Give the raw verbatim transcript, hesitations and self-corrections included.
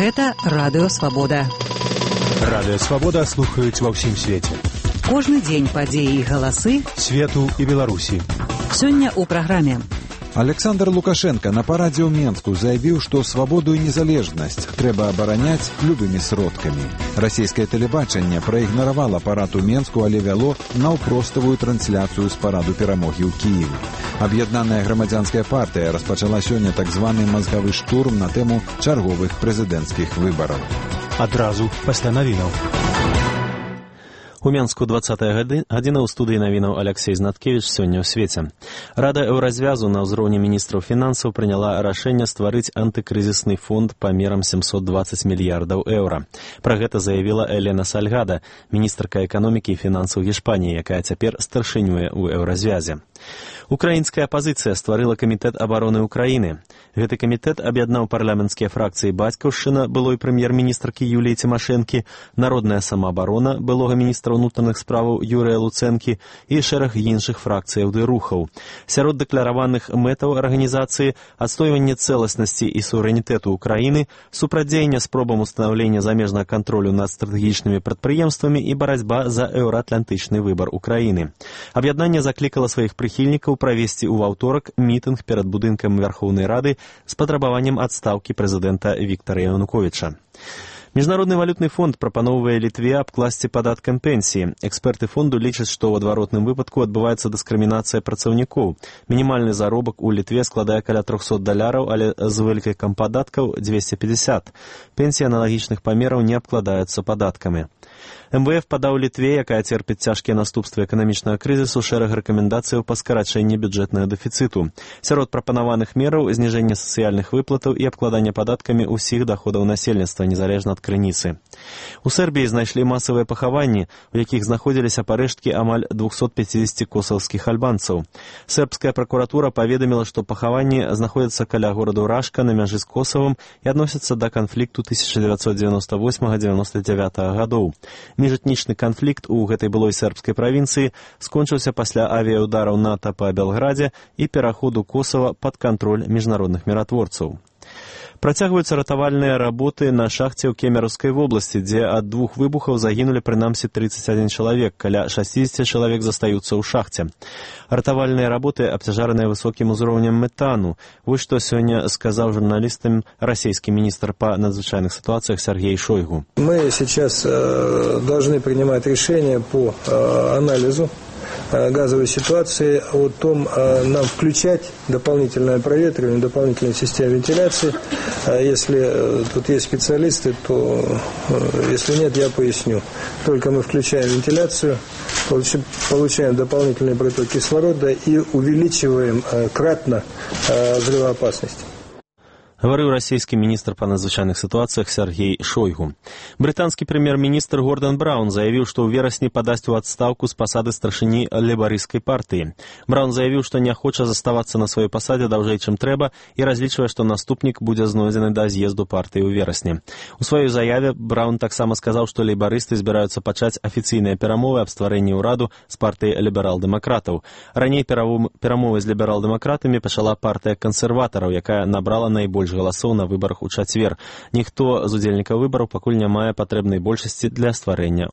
Гэта Радыё Свабода. Радыё Свабода слухаюць ва ўсім свеце. Кожны дзень падзеі і галасы свету і Беларусі. Сёння ў праграме. Александр Лукашенко на парадзе ў Менску заявіў, што свабоду і незалежнасць трэба абараняць любымі сродкамі. Расійскае тэлебачанне праігнаравала парад у Менску, але вяло наўпроставую трансляцыю з параду перамогі ў Кіеве. Аб'яднаная грамадзянская партыя распачала сёння так званы мазгавы штурм на тэму чарговых прэзідэнцкіх выбараў. Адразу пасля навінаў. У Менску двадцатая гадзіна, ў студыі навінаў Алексей Знаткевіч. Сёння ў свеце. Рада Еўразвязу на ўзроўні міністраў фінансаў прыняла рашэнне стварыць антыкрызісны фонд памерам семьсот двадцать мільярдаў еўра. Пра гэта заявіла Элена Сальгада, міністрка эканомікі і фінансаў Гішпаніі, якая цяпер старшынюе ў Еўразвязе. Украінская апазіцыя стварыла камітэт абароны Украіны. Гэты камітэт аб'яднаў парламенцкія фракцыі «Бацькаўшчына» былой прэм'ер-міністркі Юліі Цімашэнкі, «Народная самаабарона» былога міністра ўнутраных справаў Юрыя Луцэнкі і шэраг іншых фракцыяў ды рухаў. Сярод дэклараваных мэтаў арганізацыі адстойванне цэласнасці і суверэнітэту Украіны, супрацьдзеянне спробам устанаўлення замежнага кантролю над стратэгічнымі прадпрыемствамі і барацьба за еўраатлантычны выбар Украіны. Аб'яднанне заклікала сваіх прыхільнікаў правесці ў аўторак мітынг перад будынкам Вярхоўнай Рады з патрабаваннем адстаўкі прэзідэнта Віктара Януковіча. Міжнародны валютны фонд прапаноўвае Літве абкласці падаткам пенсіі. Эксперты фонду лічаць, што ў адваротным выпадку адбываецца дыскрымінацыя працаўнікоў. Мінімальны заробак у Літве складае каля трохсот даляраў, але з вылікам падаткаў дзвесце пятьдесят. Пенсіі аналагічных памераў не абкладаюцца падаткамі. эм вэ эф падаў Літве, якая церпіць цяжкія наступствы эканамічнага крызісу, шэраг рэкамендацыяў па скарачэнні бюджэтнага дэфіцыту. Сярод прапанаваных мераў зніжэнне сацыяльных выплатаў і абкладанне падаткамі ўсіх даходаў насельніцтва, незалежна ад крыніцы. У Сербіі знайшлі масавыя пахаванні, у якіх знаходзіліся парэшткі амаль двухсот пятидесяти косаўскіх альбанцаў. Сербская пракуратура паведаміла, што пахаванні знаходзяцца каля гораду Рашка на мяжы з Косавам і адносяцца да канфлікту тысяча дзевяцьсот дзевяносто восьмага — дзевяносто девятага гадоў. Міжэтнічны канфлікт у гэтай былой сербскай правінцыі скончыўся пасля авіяўдараў НАТО па Белградзе і пераходу Косава пад кантроль міжнародных міратворцаў. Працягваюцца ратавальныя работы на шахце ў Кемеравскай вобласці, дзе ад двух выбухаў загінулі прынамсі тридцать один чалавек, каля шестьдесят чалавек застаюцца ў шахце. Ратавальныя работы абцяжараныя высокім узроўнем метану. Вось што сёння сказаў журналістам расійскі міністр па надзвычайных ситуациях Сергей Шойгу. Мы сейчас э, должны принимать решение по э, анализу газовой ситуации, о том, нам включать дополнительное проветривание, дополнительную систему вентиляции. Если тут есть специалисты, то если нет, я поясню. Только мы включаем вентиляцию, получаем дополнительный приток кислорода и увеличиваем кратно взрывоопасность. Гаварыў расійскі міністр па надзвычайных сітуацыях Сергей Шойгу. Брытанскі прэм'ер-міністр Гордан Браун заявіў, што ў верасні падасць у адстаўку з пасады старшыні лейбарысцкай партыі. Браун заявіў, што не хоча заставацца на сваёй пасадзе даўжэй, чым трэба, і разлічвае, што наступнік будзе знойдзены да з'езду партыі ў верасні. У сваёй заяве Браун таксама сказаў, што лейбарысты збіраюцца пачаць афіцыйныя перамовы аб стварэнні ўраду з партыяй ліберал-дэмакратаў. Раней перамовы з ліберал-дэмакратамі пачала партыя кансерватараў, якая набрала найбольш галасоў на выбарах у чацвер. Ніхто з удзельнікаў выбараў пакуль не мае патрэбнай большасці для стварэння